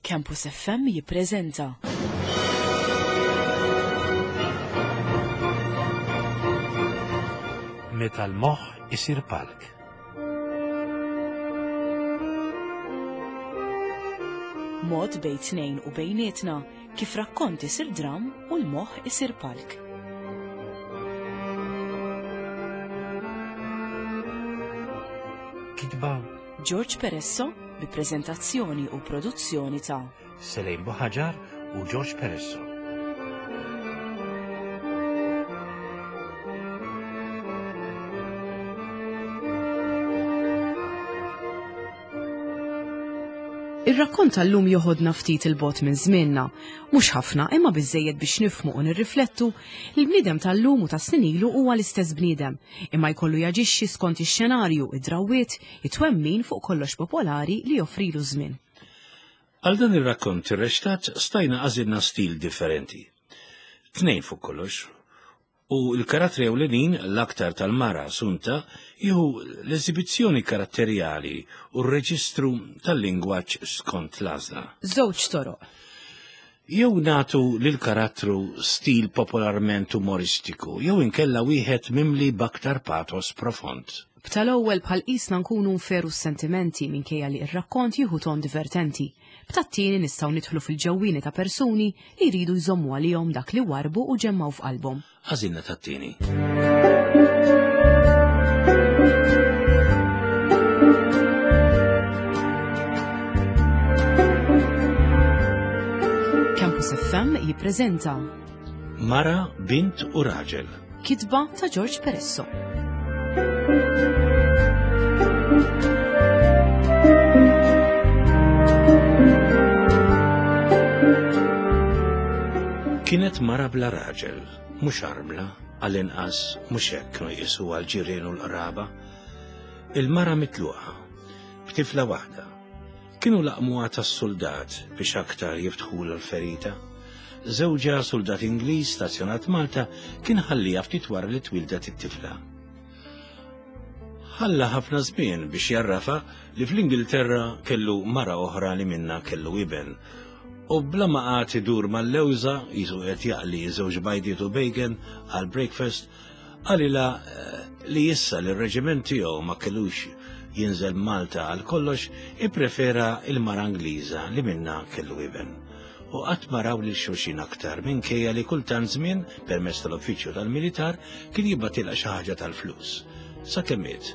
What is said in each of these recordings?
Campus FM jippreżenta. Meta l-moħħ isir palk. Mod bejn tnejn u bejnietna kif rakkont isir dram u l-moħħ isir palk. Kitba George Peresso bi preżentazzjoni u produzzjoni ta' Selejn Buħaġar u George Peresso. Ir-rakkont tal-lum joħodna ftit il-bot minn żmienna, mhux ħafna imma biżejjed biex nifhmu u nirriflettu li l-bniedem tal-lum u ta' snin ilu huwa l-istess bniedem, imma jkollu jaġixxi skont ix-xenarju, id-drawwiet, it-twemmin fuq kollox popolari li joffrilu ż-żmien. Għal dan ir-rakkont irreċtat stajna għażilna stil differenti. Tnejn fuq kollox. U l-karattri ewlenin, l-aktar tal-mara Sunta, jieħu l-eżibizzjoni karatterjali u r-reġistru tal-lingwaġġ skont l-għażla. Żewġ toroq. Jew nagħtu lill-karattru stil popolarment umoristiku, jew inkella wieħed mimli b'aktar patos profond. B'tal-ewwel bħal qisna nkunu nferu s-sentimenti minkejja li r-rakkont jieħu ton divertenti. B'tat-tieni nistgħu nidħlu fil-ġewwieni ta' persuni li jridu jżommu għalihom dak li warrbu u ġemmgħu f'qalbhom. Għażilna tat-tieni. Campus FM jippreżenta Mara, Bint u Raġel. Kitba ta' George Peresso. Kienet mara bla raġel, mhux armla, għall-inqas mhux hekk kienu jqisuha l-ġirien u l-qraba. Il-mara mitluqa, b'tifla waħda. Kienu laqmuha tas-suldat biex aktar jiftħulha l-ferita. Żewġha suldat Ingliż stazzjonat Malta kien ħalliha ftit wara li twieldet it-tifla. Ħalla ħafna żmien biex jarrafa li fl-Ingilterra kellu mara oħra li minnha kellu iben. U bla ma qagħad idur mal-lewża, qisu qed jaqli żewġ bajdiet u bacon għal breakfast, qalilha eh, li issa li r-reġiment tiegħu ma kellux jinżel Malta għal kollox, ipprefera il-mara Ingliża li minnha kellu iben. U qatt ma raw lil xulxin aktar minkejja li kultant żmien, permezz tal-uffiċċju tal-militar, kien jibgħatilha xi ħaġa tal-flus. Sakemm miet,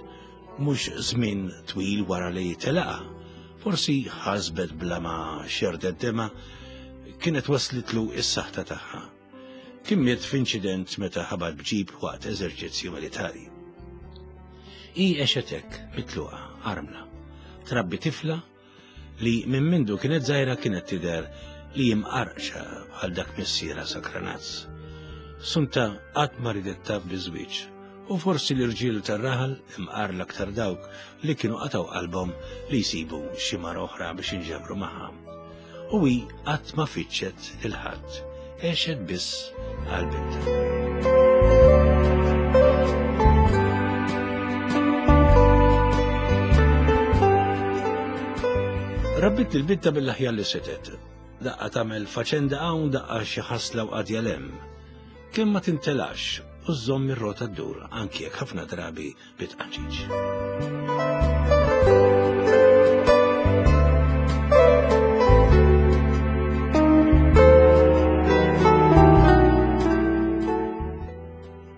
mhux żmien twil wara li telaqha, forsi ħasbet bla ma xerdet demgħa, kienet waslitlu s-saħta tagħha. Kien miet f'inċident meta ħabat b'ġib waqt eżerċizzju militari. Hi għexet hekk, mitluqa, armla. Trabbi tifla li minn mindu kienet żgħira kienet tidher li jimqarqxa bħal dak missierha Sakranazz. Sunta qatt ma ridet taf biż-żwieġ u forsi l-irġiel tar-raħal imqar l-aktar dawk li kienu qatgħu qalbhom li jsibu xi mara oħra biex inġabru magħha. U hi qatt ma fittxet lil ħadd, għexet biss għal bintha. Rabbit il-binta mill-aħjar li setet. Daqqa tagħmel faċenda hawn, daqqa xi ħasla u qadja lem. Kemm ma tintelax u żżomm ir-rota ddur anki jekk ħafna drabi bit-tqaċiċ.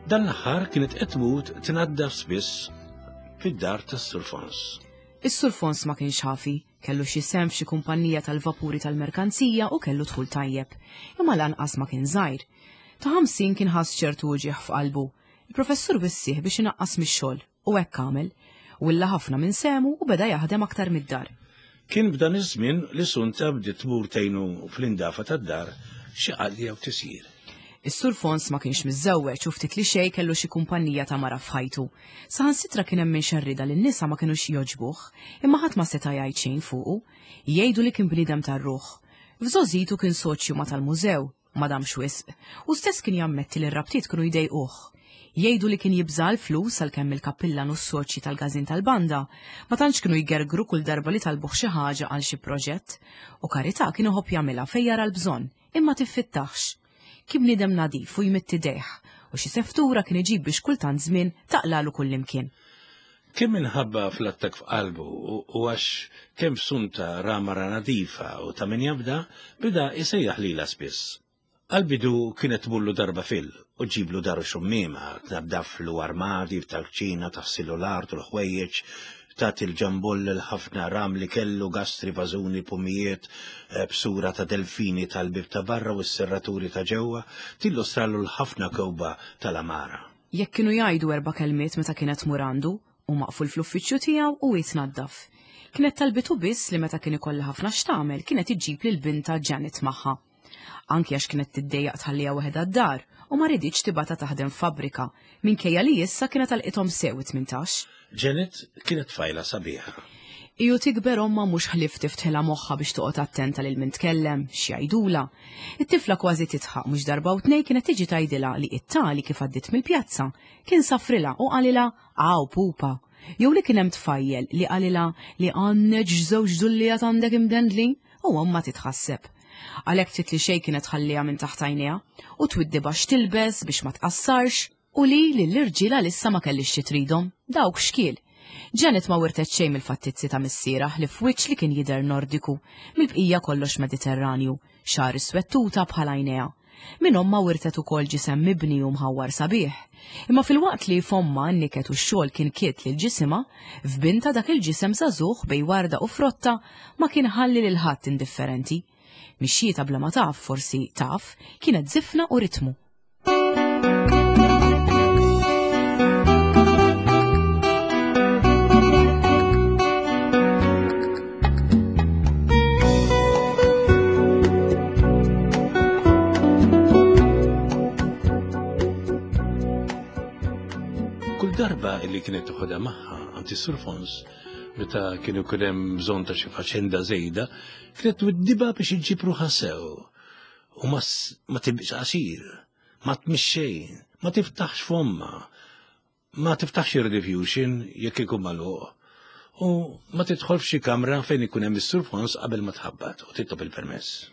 Dan l-aħħar kienet qed tmut tnaddaf spiss fid-dar tas-Sur Fons. Is-Sur Fons ma kienx ħafi, kellu xi sehem f'xi kumpanija tal-vapuri tal-merkanzija u kellu dħul tajjeb. Imma lanqas ma kien żgħir. Ta' 50 kien ħass ċertu uġigħ f'qalbu. Il-professur wissieh biex inaqqas mix-xogħol, u hekk għamel. Willa ħafna minn sehmu u beda jaħdem aktar mid-dar. Kien f'dan iż-żmien li Sunta bdiet tmur tgħinu fl-indafa tad-dar xi qali jew tisjir. Is-Sur Fons ma kienx miżżewweġ u ftit li xejn kellu xi kumpanija ta' mara f'ħajtu. Saħansitra kien hemm min xerridha li n-nisa ma kinux jogħġbuh, imma ħadd ma seta' jgħid xejn fuqu. Jgħidu li kien bniedem tar-ruħ. F'żgħożitu kien soċju ma' tal-mużew, Ma damx wisq. Hu stess kien jammetti li r-rabtiet kienu jdejquh. Jgħidu li kien jibża' l-flus għalkemm il-kappillan u s-soċji tal-każin tal-banda ma tantx kienu jgergru kull darba li talbuh xi ħaġa għal xi proġett, u karità kien iħobb jagħmilha fejn jara l-bżonn, imma tiffittahx. Kien bniedem nadif u jmidd idejh, u xi seftura kien iġib biex kultant żmien taqlagħlu kullimkien. Kemm minħabba fl-attakk f'qalbu u għax kemm f'Sunta ra mara nadifa u ta' min jafda, beda jsejjaħ lilha spiss. Għall-bidu kienet tmurlu darba fil u ġġiblu daru xummiema, tnaddaflu armadi tal-kċina, taħsillu l-art u l-ħwejjeġ, tagħti l-ġambull l-ħafna ram li kellu, gastri, vażuni, pumijiet, eh, b'sura ta' delfini tal-bib ta' barra u s-serraturi ta' ġewwa, tillustralu l-ħafna kewba tal-amara. Jekk kienu jgħidu erba' kelmiet meta kienet tmur għandu, u maqful fl-uffiċċju tiegħu u hi tnaddaf. Kienet talbitu biss li meta kien ikollha ħafna x'tagħmel kienet iġġib lil bintha Janet magħha. Anki għax kienet tiddejjaq tħalliha waħedha d-dar u ma riditx tibgħatha taħdem f'fabbrika, minkejja li issa kienet għalqithom sew it-tmintax. Janet kienet tfajla sabiħa. Hi u tikber ommha mhux ħlief tiftħilha moħħha biex toqgħod attenta lil min tkellem, x'jgħidulha. It-tifla kważi tidħaq mhux darba u tnejn kienet tiġi tgħidilha li it-tali kif għaddiet mill-pjazza kien safrilha u qalilha Aw pupa! Jew li kien hemm tfajjel li qalilha li għandek x'żewġ dullijat għandek imdendlin u ommha titħasseb. Għalhekk ftit li xejn kienet tħalliha minn taħt għajnejha u twiddibha x'tilbes biex ma tqassarx u li lill-irġiel għalissa ma kellhiex xi tridhom, dawk xkiel. Janet ma wirtet xejn mill-fattizzi ta' missierha ħlief wiċċ li kien jidher Nordiku, mill-bqija kollox Mediterranju, xagħar iswed tuta bħal għajnejha. Minn ommha wirtet ukoll ġisem mibni u mħawwar sabiħ. Imma filwaqt li f'ommha n-niket u x-xogħol kien kiet lil ġisimha, f'bintha dak il-ġisem żagħżugħ bejn warda u frotta ma kien ħalli lil ħadd indifferenti. Mixjietha bla ma taf, forsi taf, kienet żifna u ritmu. Kull darba li kienet toħodha magħha għand is-Sur Fons, meta kien ikun hemm bżonn ta' xi faċenda żejda, kienet twiddiba biex iġġib ruħha sew. U ma tibqx qasir, ma tmix xejn, ma tiftaħx fomma, Ma tiftaħx ir-rediffusion jekk ikun magħluq u ma tidħol f'xi kamra fejn ikun hemm is-Sur Fons qabel ma tħabbat u titlob il-permess.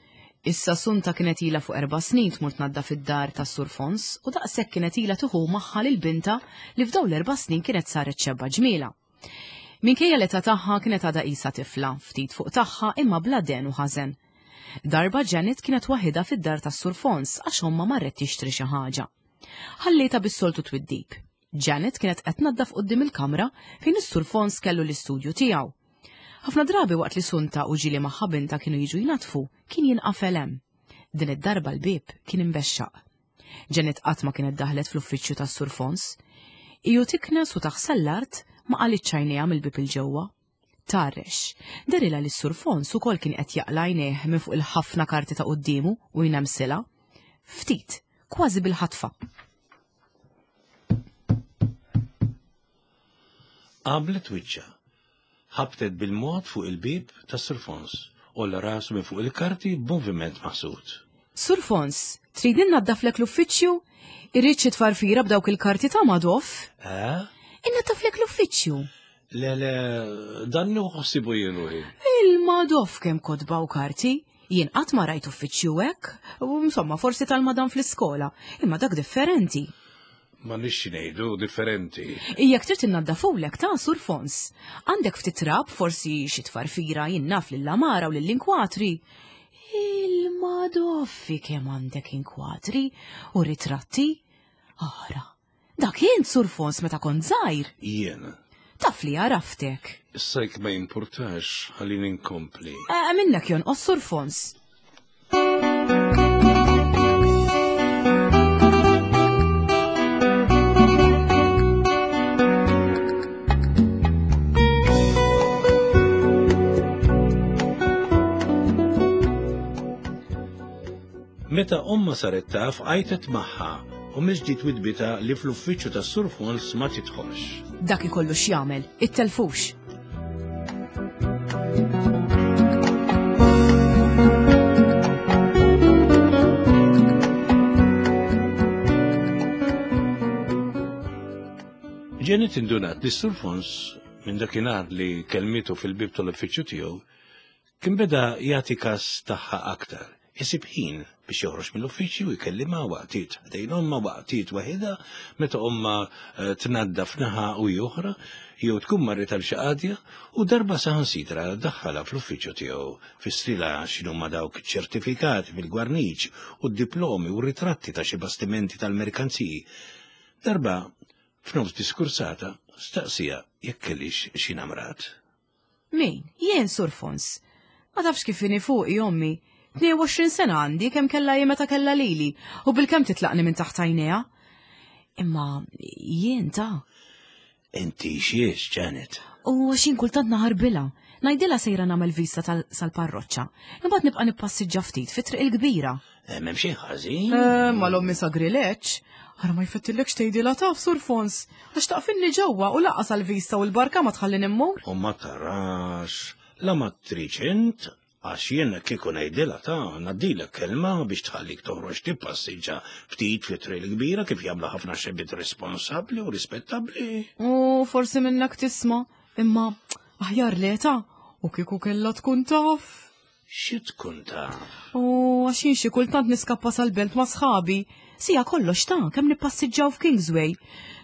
Issa Sunta kienet ilha fuq erba' snin tmur tnaddaf id-dar tas-Sur Fons u daqshekk kienet ilha tieħu magħha lil bintha li f'dawn l-erba' snin kienet saret xebba ġmielha. Minkejja l-età tagħha kienet għadha qisha tifla, ftit fuq tagħha imma bla den u ħażen. Darba Janet kienet waħidha fid-dar tas-Sur Fons għax ommha marret tixtri xi ħaġa. Ħallietha bis-soltu twiddib. Janet kienet qed tnaddaf quddiem il-kamra fejn is-Sur Fons kellu l-istudju tiegħu. Ħafna drabi waqt li Sunta u ġieli magħha bintha kienu jiġu jnaddfu, kien jinqafel hemm. Din id-darba l-bieb kien imbexxaq. Janet qatt ma kienet daħlet fl-uffiċċju tas-Sur Fons. Iju tiknes u taħsel l-art ma qalitx għajnejha mill-bieb 'il ġewwa. Tgħarrex. Dehrilha li s-Sur Fons ukoll kien qed jaqla' għajnejh minn fuq il-ħafna karti ta' quddiemu u jnemsilha. Ftit, kważi bil-ħatfa. Għamlet wiċċha. Ħabtet bil-mod fuq il-bieb tas-Sur Fons. Għolla rasu minn fuq il-karti b'moviment maħsud. Sur Fons, trid innaddaflek l-uffiċċju? Irrid xi tfarfira b'dawk il-karti ta' Madoff? Eh? Innaddaflek l-uffiċċju. Le, le, dan nħossibu jien ruħi. Il-Madoff kemm kotba u karti. Jien qatt ma rajt uffiċċju hekk, u insomma forsi tal-madam fl-iskola, imma dak differenti. Ma nix ngħidu differenti. Jekk trid innaddafulek ta' Sur Fons. Għandek ftit trab, forsi xi tfarfira jien naf lill-amara u lill-inkwatri. Il-Madoffi kemm għandek inkwatri u ritratti. Ara, Dak int, Sur Fons, meta kont żgħir. Jien. Taf li għaraftek. Issa jekk ma jimpurtax, ħallini nkompli. Eh, minnek jonqos, Sur Fons. Meta ommha saret taf għajtet magħha u mill-ġdid widdbitha li fl-uffiċċju tas-Sur Fons ma tidħolx. Dak ikollu x'jagħmel, ittelfux. Janet indunat li Sur Fons minn dakinhar li kelmitu fil-bib tal-uffiċċju tiegħu kien beda jagħti kas tagħha aktar. Isib ħin biex joħroġ mill-uffiċċju jkellimha waqtiet ħdejn ommha waqtiet waħidha meta ommha eh, tnaddaf naħa u oħra jew tkun marret għal xi qadja u darba saħansitra daħħalha fl-uffiċċju tiegħu fissrilha x'inhuma dawk iċ-ċertifikati fil-gwarniċ u d-diplomi u ritratti ta' xi bastimenti tal-merkanziji. Darba f'nofs diskursata staqsija jekk kellix xi namrat. Min? Jien, Sur Fons. Ma tafx kif inhi fuqi ommi. 22 sena għandi kemm kellha hi meta kellha lili u bilkemm titlaqni minn taħt għajnejha. Imma jien ta'. Inti xiex, Janet? U għax jien kultant naħarbilha. Ngħidilha sejra nagħmel vista sal-parroċċa. Imbagħad nibqa' nippassiġġa ftit fit-triq il-kbira. Eh, m'hemm xejn ħażin. Eh, ma l-ommi sagrileġġ. Ara ma jfettillekx tgħidilha taf, Sur Fons, għax taqfinni ġewwa u laqas għall-vista u l-barka ma tħallini mmur. U ma tarax, la ma tridx int, għax jien kieku ngħidilha ta' ngħaddilek kelma biex tħallik toħroġ tippassiġġa ftit fi triq il-kbira kif jagħmlu ħafna xebbiet responsabbli u rispettabbli. U forsi minnek tisma', imma aħjar le ta' u kieku kellha tkun taf. Xi tkun taf? U għax jien xi kultant niskappa sal-belt ma' sħabi. Sija kollox ta' kemm nippassiġġaw f'Kingsway.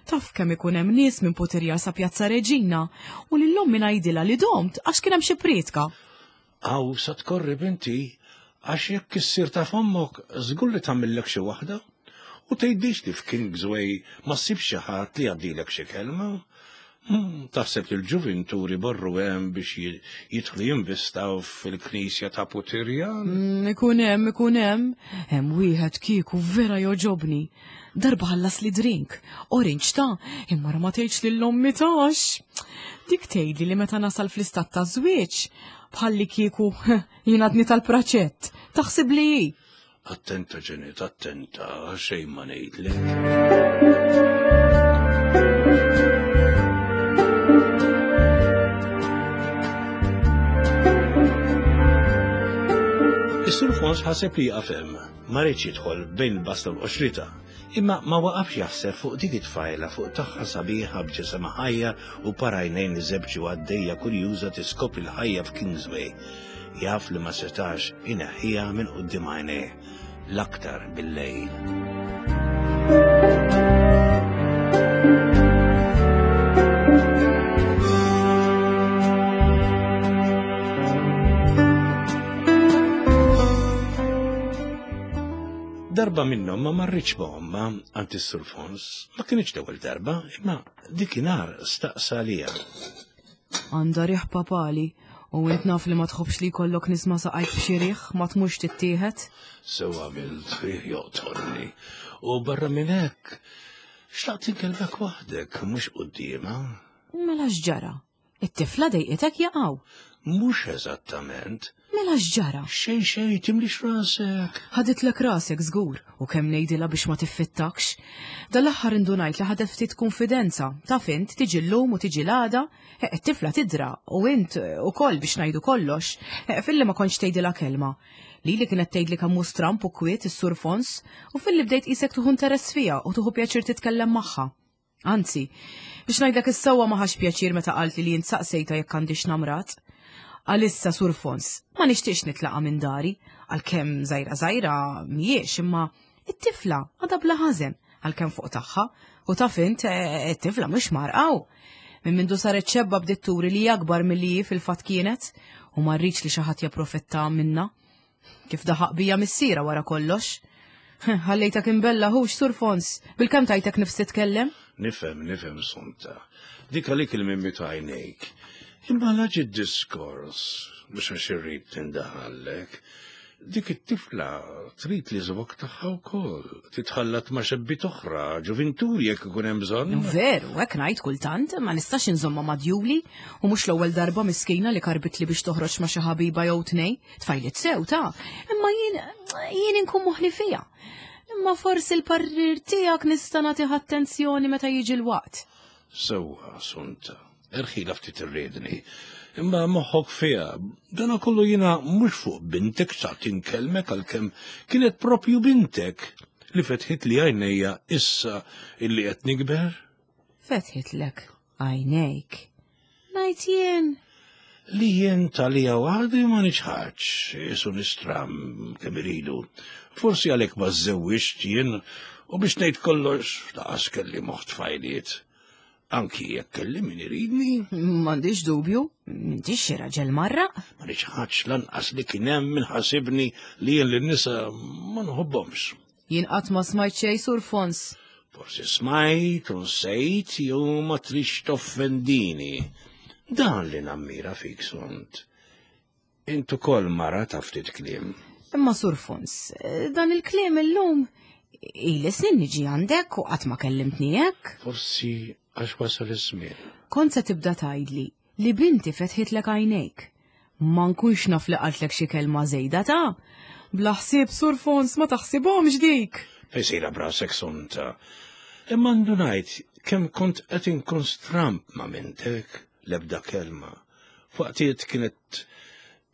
Taf kemm ikun hemm nies minn Putirjar sa Pjazza Reġina u lil ommi ngħidilha li domt għax kien hemm xi prietka. Aw sa tkorri binti, għax jekk issir taf ommok żgur li tagħmillek xi waħda. U tgħidlix li f'Kingsway ma ssibx xi ħadd li jgħaddilek xi kelma. Hmm, taħseb li l-ġuvinturi borru hemm biex jidħlu jinvistaw fil-knisja ta' Putirjan? Hmm, ikun hemm, ikun hemm. Hemm wieħed kieku vera joġobni. Darba ħallas li drink, orange ta' imma ma tgħidx lil ommi tax. Dik tgħidli li meta nasal fl-istat ta' żwieġ, bħalli kieku jien għadni tal-praċett, taħsib li hi. Attenta Janet, attenta, xejn ma ngħidlek. Is-Sur Fons ħaseb li jaqaf hemm, ma riedx jidħol bejn il-basta u l-qoxrita, imma ma waqafx jaħseb fuq dik it-tfajla fuq tagħha sabiħa b'ġisimha ħajja u parajnejn iżebġu għaddejja kurjuża tiskopri l-ħajja f'Kingsway. Jaf li ma setax ineħħiha minn quddiem għajnejh, l-aktar bil-lejl. Darba minnhom ma marritx ma' ommha għand is-Sur Fons, ma kinitx l-ewwel darba, imma dikinhar staqsa għaliha. Għandha riħ papali, u int naf li ma tħobbx li jkollok nisma' saqajk b'xi riħ ma tmurx tittieħed. Sew għamilt, riħ joqtolni. U barra minn hekk, xtaqt inkellmek waħdek, mhux quddiemha. Mela x'ġara? It-tifla dejqitek jaqaw. Mhux eżattament. Mela x'ġara? Xejn xejn timlix rasek. Ħaditlek rasek żgur u kemm ngħidilha biex ma tiffittakx. Dal-aħħar indunajt li ħadet ftit kunfidenza. Taf int tiġi llum u tiġi l-għada, eh, it-tifla tidra u int eh, ukoll biex ngħidu kollox, eh, filli ma kontx tgħidilha kelma. Lili kienet tgħidli kemm hu stramp u kwiet is-Sur Fons u filli bdejt qisek tuħu interess fiha u tuħu pjaċir titkellem magħha. Anzi, biex ngħidlek is-sewwa ma ħax pjaċir meta qaltli li jien saqsejtha jekk għandix namrat. Għalissa Sur Fons, ma nixtieqx nitlaqa' minn dari, għalkemm żgħira żgħira mhijiex imma it-tifla għadha bla ħażen għalkemm fuq tagħha u taf int eh, it-tifla mhux marqaw. Minn mindu saret xebba bdiet turi li akbar milli hi fil-fatt kienet u ma rridx li xi ħadd japprofitta minnha. Kif daħaq bija missiera wara kollox. Ħallejtak imbella hux Sur Fons, bil-kemm tajtek nifs titkellem? Nifhem, nifhem Sunta. Dik għalik il-mimmi ta' għajnejk. Imma laġi diskors, mhux għax irrid tindaħallek. Dik it-tifla trid li żvok tagħha wkoll, titħallat ma' xebbiet oħra, ġuvinturi jekk ikun hemm bżonn. Veru, hekk ngħid kultant, ma nistax inżomma ma' djuli u mhux l-ewwel darba miskina li karbitli biex toħroġ ma' xi ħabiba jew tnej. Tfajliet sew ta' imma jien jien inkun moħli fija. Imma forsi l-parrir tiegħek nista' nagħtih attenzjoni meta jiġi l-waqt. Sewwa, Sunta, erħila ftit irridni. Imma moħħok fiha, dana kollu jiena mhux fuq bintek xtaqt inkellmek għalkemm kienet propju bintek li fetħit li għajnejja issa illi qed nikber. Fetħitlek għajnejk. Ngħid jien. Li jien talija waħdi ma niċħadx, jisu nistram kemm iridu. Forsi għalhekk ma żewwiġt jien u biex ngħid kollox laqas kelli moħħ tfajliet. Anki jekk kelli min iridni. M'għandix dubju, m'intix xi raġel marra. Ma niċħadx lanqas li kien hemm min ħasibni li jien lin-nisa ma nħobbhomx. Jien qatt ma smajt xejn sur Fons. Forsi smajt u nsejt jew ma trix toffendini. Dan li nammira fik sunt. Int ukoll mara ta' ftit kliem. Imma Sur Fons, dan il-kliem illum ili snin niġi għandek u qatt ma kellimtni hekk. Forsi għax wasal iż-żmien. Kont se tibda tgħidli li binti fetħitlek għajnejk. Ma nkunx naf li qaltlek xi kelma żejda ta' bla ħsieb Sur Fons ma taħsibhomx dik. Fejn sejra b'rasek Sunta. Imma ndunajt kemm kont qed inkun stramb ma' mintek l-ebda kelma. F'waqtiet kienet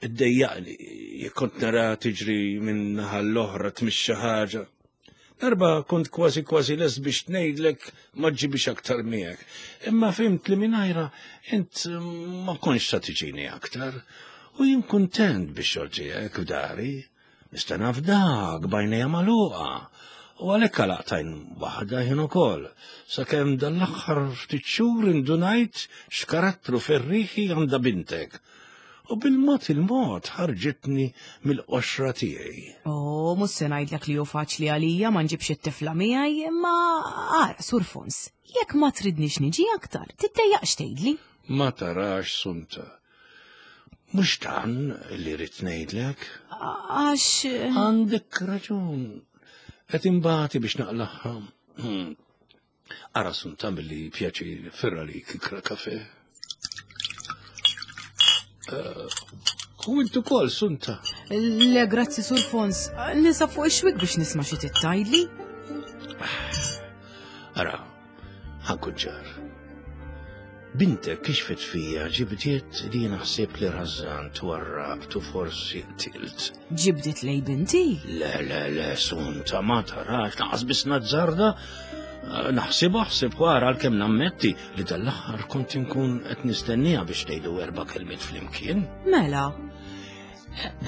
iddejjaqni jekk kont nara tiġri minn naħa l-oħra tmix xi ħaġa. Darba kont kważi kważi lest biex ngħidlek ma ġibix aktar miegħek. Imma fimt li mingħajra int ma kontx sa tiġini aktar. U jien kuntent biex xogħol tiegħek f'dari. Nista' nafdak b'għajnejja magħluqa. U għalhekk għalaqtajn waħda jien ukoll, sakemm dan l-aħħar ftit xhur indunajt x'karattru ferrieħi għandha bintek. U bil-mod il-mod ħarġitni mill-qoxra tiegħi. Oh, mhux se ngħidlek li hu faċli għalija ma nġibx it-tifla miegħi, imma ara, Sur Fons, jekk ma tridnix niġi aktar, tiddejjaqx tgħidli. Ma tarax, Sunta. Mhux dan li rrid ngħidlek. Għax. Għandek raġun. Qed imbati biex naqlaħħa. Hmm. Ara sun tagħmel pjaċir ferra li kikra kafe. Eh, u intu kol, sunta. Le, grazzi, Sur Fons. Nisa fuq ix-xwik biex nisma' xi tittajli. Ara, Ħankun ċar. Bintek kixfet fija ġibdiet li jiena ħsibt li rażżant u warrabt u forsi qtilt. Ġibdiet lej binti? Le, le, le, sunta ma tarax, naqas biss nazzarda. Naħsibha ħsib wara għalkemm nammetti li dal-aħħar kont inkun qed nistenniha biex tgħidu erba' kelmiet flimkien. Mela.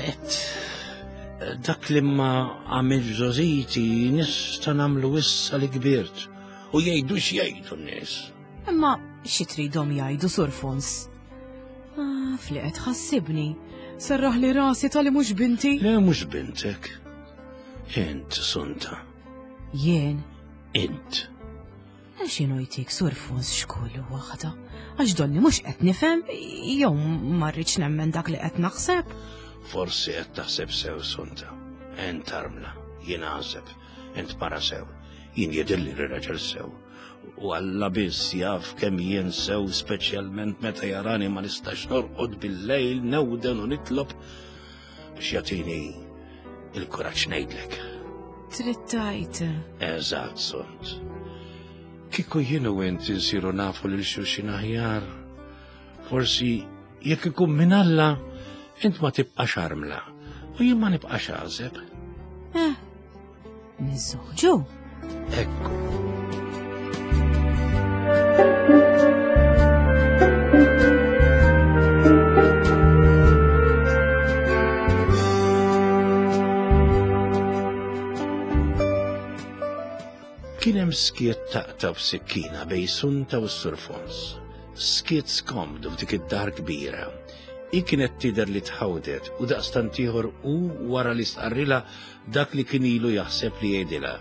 Et dak li ma għamil żożiti nista' nagħmlu issa li kbirt. U jgħidu x'jgħidu n-nies. Imma xi tridhom jgħidu Sur Fons? Ah, fli qed ħassibni. Serraħ li rasi tali mhux binti. Le mhux bintek. Int sunta. Jien. Int. Għax jienu jtik Sur Fons xkullu waħda. Għax donni mhux qed nifhem jew ma rridx nemmen dak li qed naħseb. Forsi qed taħseb sew sunta. Ent armla, jien għażeb, int mara sew. Jien jidhirli li raġel sew. U Alla biss jaf kemm jien sew speċjalment meta jarani ma nistax norqod bil-lejl newden u nitlob biex jagħtini il-kuraġġ ngħidlek. Trid tgħid. Eżatt, sont. Kieku jien u int insiru nafu lil xulxin aħjar, forsi jekk ikun minn Alla, int ma tibqax armla u jien ma nibqax għażeb. Eh, Niżżewġu? Ekku. Kien hemm skiet taqta' b'sikkina bejn Sunta u s-Sur Fons. Skiet skomdu f'dik id-dar kbira. Hi kienet tidher li tħawdet u daqstant ieħor hu wara li stqarrilha dak li kien ilu jaħseb li jgħidilha.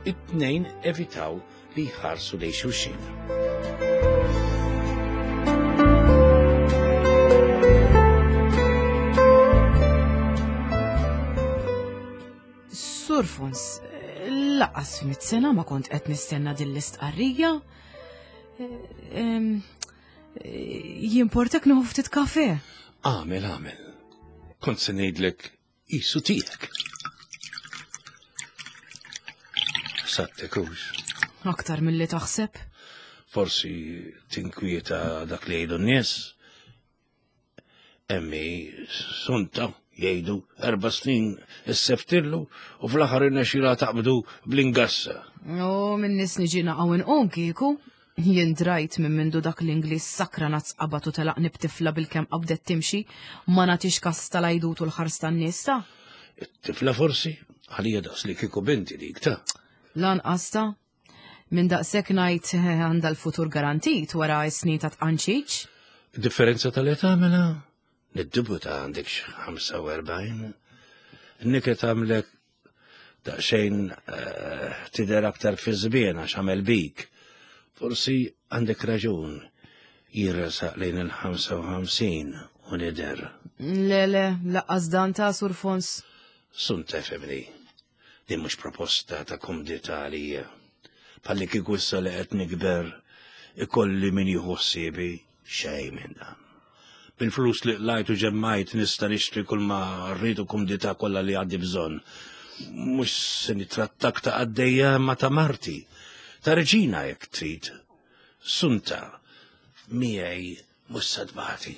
It-tnejn evitaw li jħarsu lejn xulxin. Sur Fons, laqas f'mit sena ma kont qed nistenna din l-istqarrija. Jimportak nieħu ftit kafe. Għamel, għamel. Kont se ngħidlek Qisu tiegħek. Sattek hux. Aktar milli taħseb. Forsi tinkwieta dak li jgħidu n-nies. Emmi, sunta, jgħidu erba snin isseftillu u fl-aħħar irnexxilha taqbdu bl-ingassa. U minn nies niġi naqgħu inqum kieku. Jien drajt minn mindu dak l-Ingliż sakranazz qabad u telaqni b'tifla bilkemm qabdet timxi, ma nagħtix kas tal-għajdut u l-ħars tan-nies ta'. It-tifla forsi? Għalija daqs li kieku binti dik ta'. Lanqas ta'. Minn daqshekk ngħid għandha l-futur garantit wara s-snin ta' tqanċiċ. Differenza tal-età mela? Niddubuta għandek xi 45. Niket għamlek daqsxejn eh, tidher aktar fi żmien għax għamel bik. Forsi għandek raġun jirresaq lejn il-55 u nidher. Le, le, laqqas dan ta' Sur Fons. Sun tefemni, din mhux proposta ta' kumdità għalija. Palli kieku issa li qed nikber ikolli min jieħu ħsiebi Xejn minn dan. Bil-flus li qlajt u ġemmajt nista' nixtri kull ma rrid u kumdità kollha li għandi bżonn. Mhux se nitrattak ta' qaddejja ma ta' marti. Ta' reġina jekk trid. Sunta, miegħi mhux se tbati.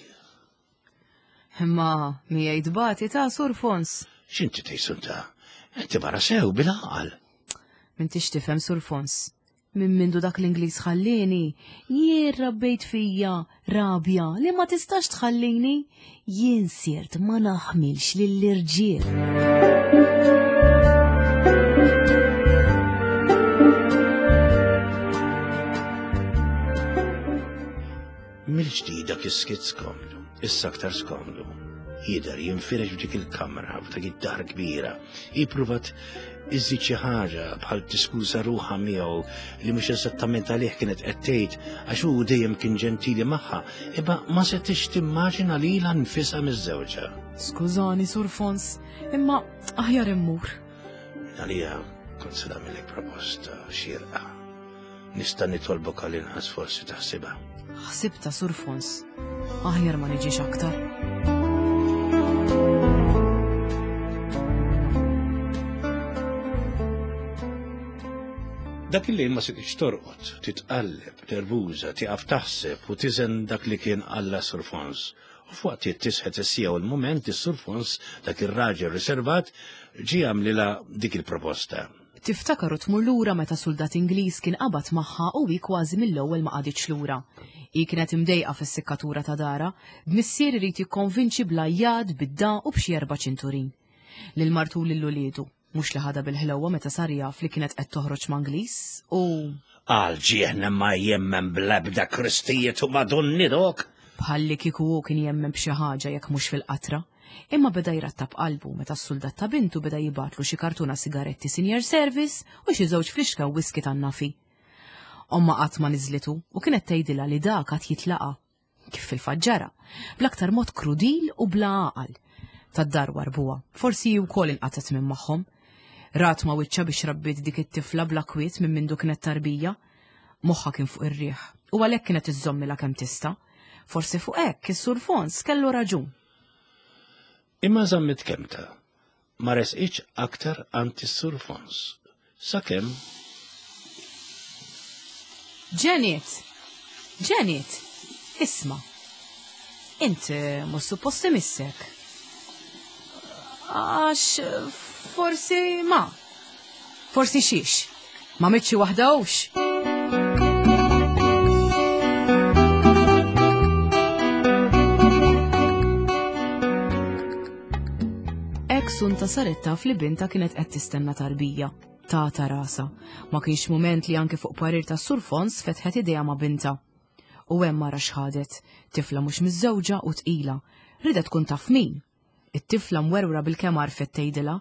Imma miegħi tbati ta' Sur Fons. X'inti tgħid Sunta? Inti mara sew bil-għaqal. M'intix tifhem Sur Fons. Minn mindu dak l-Ingliż ħallieni, jien rabbejt fija rabja li ma tistax tħallini, jien sirt ma naħmilx lill-irġiel. Mill-ġdid dak is-skiet skomdu, issa aktar skomdu. Jidher jinfirex f'dik il-kamra, f'dak id-dar kbira. Hi pruvat iżżid xi ħaġa bħal tiskuża ruħha miegħu li mhux eżattament għalih kienet qed tgħid għax hu dejjem kien ġentili magħha, imma ma setgħetx timmaġina lilha nfisha miżżewġa. Skużani, Sur Fons, imma aħjar immur. Għalija kont se nagħmilek proposta xierqa. Nista' nitolbok għal inqas forsi taħsibha. Ħsibta Sur Fons. Aħjar ma niġix aktar. Dak il-lejl ma setgħetx torqod, titqalleb, nervuża, tieqaf taħseb u tiżen dak li kien alla Sur Fons. U f'waqt tisħet is-sija u l-mument is-Sur Fons, dak ir-raġel riservat, ġie għamlilha dik il-proposta. Tiftakar u tmur lura meta suldat Ingliż kien qabad magħha u hi kważi mill-ewwel ma qagħditx lura. Hi kienet imdejqa fis-sikkatura ta' darha, b'missier irid jikkonvinċi bl-għajjat, bid-dagħa u b'xi erba' ċinturin. Lil martu u lil uliedu. Mhux li ħadha bil-ħlewwa meta sar jaf li kienet qed toħroġ ma' Ingliż u. Għal ġieħna ma jemmen bl-ebda Kristijiet u Madonni dok! Bħalli kieku hu kien jemmen b'xi ħaġa jekk mhux fil-qatra. Imma beda jrattab qalbu meta s-suldat ta' bintu beda jibgħatlu xi kartuna sigaretti senior service u xi żewġ flixka whisky tan-nafi. Ommha qatt ma niżlitu u kienet tgħidilha li dak għad jitlaqa'. Kif fil-fatt ġara, bl-aktar mod krudil u bla għaqal. Tad-dar warbuha, forsi hi wkoll inqatgħet minn magħhom. Rat ma' wiċċha biex rabbiet dik it-tifla bla kwiet minn mindu kienet tarbija. Moħħha kien fuq ir-riħ u għalhekk kienet iżżommilha kemm tista'. Forsi fuq hekk is-Sur Fons kellu raġun. Imma żammet kelmtha, ma resqitx aktar għand is-Sur Fons, sakemm. Janet! Janet! Isma'. Int eh, mhux suppost imissek. Għax forsi ma. Forsi xiex. Ma mitxi waħda hux. Ek sunta saret taf li binta kienet qed tistenna tarbija. Tata rasa. Ma kienx mument li anke fuq parir ta' Sur Fons fetħet idea ma' binta. U hemm mara xħadet, tifla mhux miżżewġa u tqila. Ridet tkun taf min. It-tifla mwerwra bilkemm għarfet tgħidilha.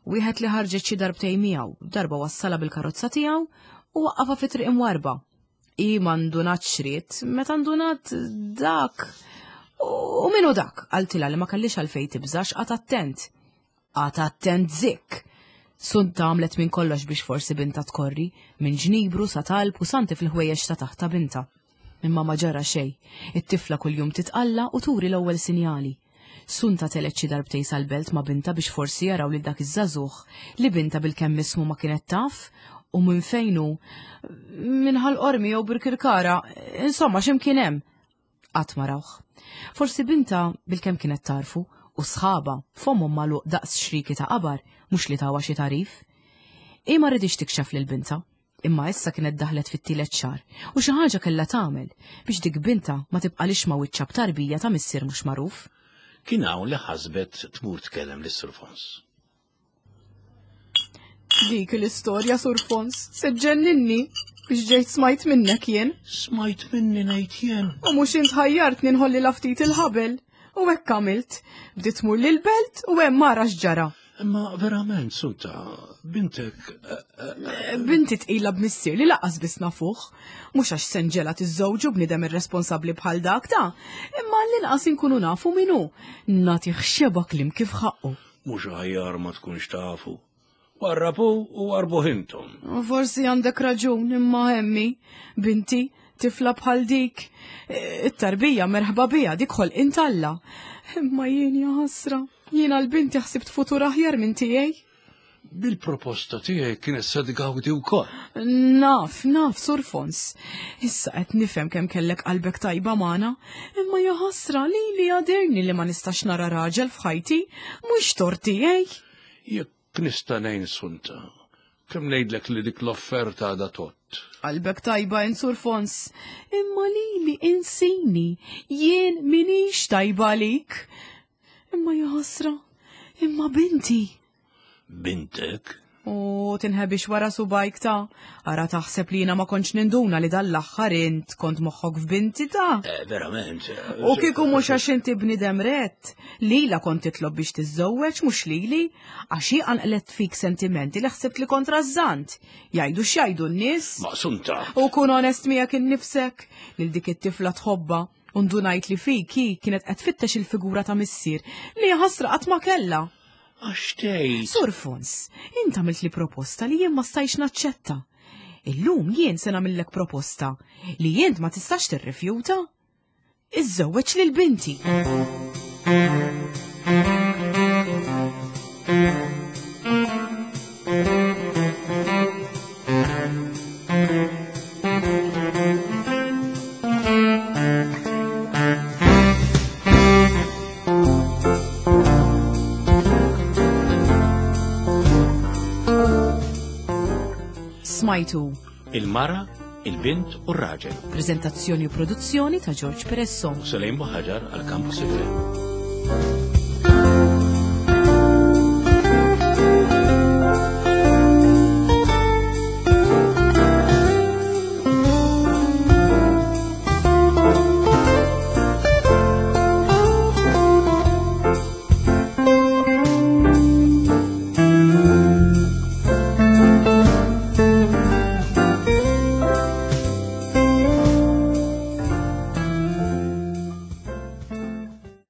Wieħed li ħarġet xi darbtejn miegħu, darba wassalha bil-karozza tiegħu u waqqafha fi triq imwarrba. Hi ma ndunatx x'ried, meta ndunat dak. U min hu dak? Qaltilha li ma kellhiex għalfejn tibża' x'qagħad attent. Qagħad attent zikk! Sunta għamlet minn kollox biex forsi bintha tkorri, minn ġnibru sa talb u santi fil-ħwejjeġ ta' taħt ta' bintha. Imma ma ġara xejn. It-tifla kuljum titqalla' u turi l-ewwel sinjali. Sunta telgħet xi darbtejn sal-belt ma' bintha biex forsi jaraw lil dak iż-żagħżugħ li bintha bilkemm ismu ma kienet taf u minn fejn hu. Minn Ħal Qormi jew Birkirkara, insomma x'imkien hemm. Qatt ma rawh. Forsi bintha bilkemm kienet tagħrfu u sħabha fommhom magħluq daqs xriki ta' qabar mhux li tawha xi tagħrif. Hi ma riditx tikxef lil bintha. Imma issa kienet daħlet fit-tielet xahar u xi ħaġa kellha tagħmel biex dik bintha ma tibqalix ma' wiċċha b'tarbija ta' missier mhux magħruf. Kien hawn li ħasbet tmur tkellem lis-Sur Fons. Dik l-istorja, Sur Fons, se ġenninni biex ġejt smajt minnek jien. Smajt minni ngħid jien. U mhux int ħajjartni nħolli la ftit il-ħabel. U hekk għamilt. Bdiet tmur lill-belt u hemm mara x'ġara. Imma verament, Sunta, bintek. Eh, eh, eh, Binti tqila b'missier li laqas biss nafuh. Mhux għax senġela tiżżewġu bniedem irresponsabbli bħal dak ta' imma l-inqas inkunu nafu min hu. Nagħtih xeba klim kif ħaqqu. Mhux aħjar ma tkunx tafu. Warrabu u warbuh intom. Forsi għandek raġun imma hemmi, binti, tifla bħal dik. It-tarbija merħba biha dik ħolqien t'Alla. Imma jien ja ħasra, jien għal binti ħsibt futur aħjar minn tiegħi. Bil-proposta tiegħi kienet se tgawdi wkoll. Naf, naf, Sur Fons. Issa qed nifhem kemm kellek qalbek tajba magħna, imma ja ħasra li li għadirni li ma nistax nara raġel f'ħajti, mhux tort tiegħi. Jekk nista' ngħin Sunta, kemm ngħidlek li dik l-offerta għadha tgħodd. Qalbek tajba int Sur Fons, imma lili insini, jien minix tajba għalik. Imma ja ħasra, imma binti. Bintek? U tinħebix wara subajk ta' ara taħseb li jiena ma kontx ninduna li dan l-aħħar int kont moħħok f'binti ta'. Eh, verament. Eh, U kieku mhux għax inti bniedem rett, lila kont titlob biex tiżżewweġ mhux lili, għax hi qanqlet fik sentimenti li ħsibt li kont rażżant. Jgħidu x'jgħidu n-nies. Maqsunta. U kun onest miegħek innifsek lil dik it-tifla tħobbha u ndunajt li fik hi kienet qed tfittex il-figura ta' missier li ħasra qatt ma kellha. Għax tgħid. Sur Fons, int għamilt li proposta li jien ma stajx naċċetta. Illum jien se nagħmillek proposta li jint ma tistax tirrifjuta. Iżżewweġ lil binti. Smajtu. Il-mara, il-bint u r-raġel. Prezentazzjoni u produzzjoni ta' George Peresso. U Selejn Buħaġar għal Campus FM.